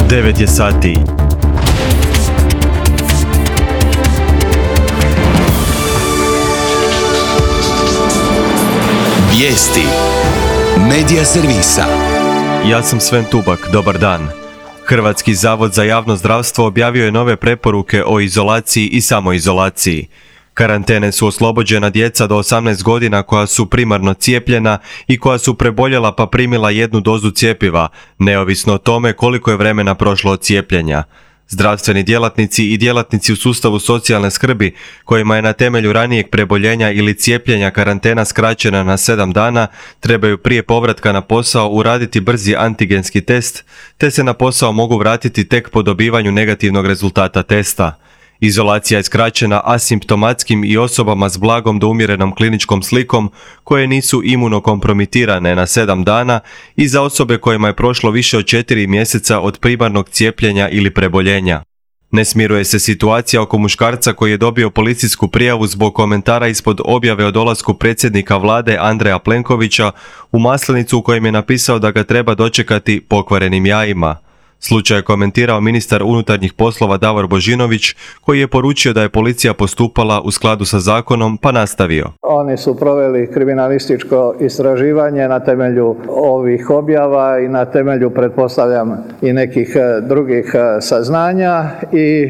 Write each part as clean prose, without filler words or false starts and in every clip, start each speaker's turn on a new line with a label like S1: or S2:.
S1: 9 je sati.
S2: Vijesti Medija servisa.
S1: Ja sam Sven Tubak, dobar dan. Hrvatski zavod za javno zdravstvo objavio je nove preporuke o izolaciji i samoizolaciji. Karantene su oslobođena djeca do 18 godina koja su primarno cijepljena i koja su preboljela pa primila jednu dozu cjepiva, neovisno o tome koliko je vremena prošlo od cijepljenja. Zdravstveni djelatnici i djelatnici u sustavu socijalne skrbi, kojima je na temelju ranijeg preboljenja ili cijepljenja karantena skraćena na 7 dana, trebaju prije povratka na posao uraditi brzi antigenski test, te se na posao mogu vratiti tek po dobivanju negativnog rezultata testa. Izolacija je skraćena asimptomatskim i osobama s blagom do umjerenom kliničkom slikom koje nisu imunokompromitirane na 7 dana i za osobe kojima je prošlo više od 4 mjeseca od primarnog cijepljenja ili preboljenja. Ne smiruje se situacija oko muškarca koji je dobio policijsku prijavu zbog komentara ispod objave o dolasku predsjednika vlade Andreja Plenkovića u Maslenicu u kojem je napisao da ga treba dočekati pokvarenim jajima. Slučaj je komentirao ministar unutarnjih poslova Davor Božinović, koji je poručio da je policija postupala u skladu sa zakonom, pa nastavio.
S3: Oni su proveli kriminalističko istraživanje na temelju ovih objava i na temelju, pretpostavljam, i nekih drugih saznanja i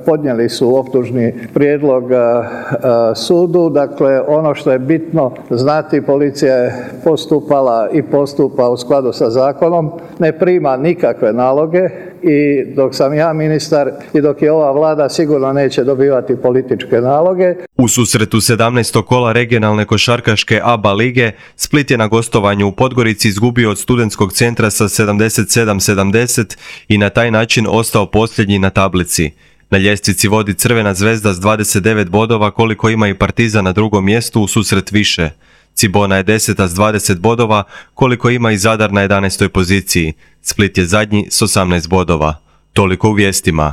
S3: podnijeli su optužni prijedlog sudu. Dakle, ono što je bitno znati, policija je postupala i postupa u skladu sa zakonom, ne prima nikakve naloge i dok sam ja ministar i dok je ova vlada sigurno neće dobivati političke naloge.
S1: U susretu 17. kola regionalne košarkaške ABA lige Split je na gostovanju u Podgorici izgubio od Studentskog centra sa 77-70 i na taj način ostao posljednji na tablici. Na ljestvici vodi Crvena zvezda s 29 bodova koliko ima i Partizan na drugom mjestu u susret više. Cibona je 10. s 20 bodova, koliko ima i Zadar na 11. poziciji. Split je zadnji s 18 bodova. Toliko u vijestima.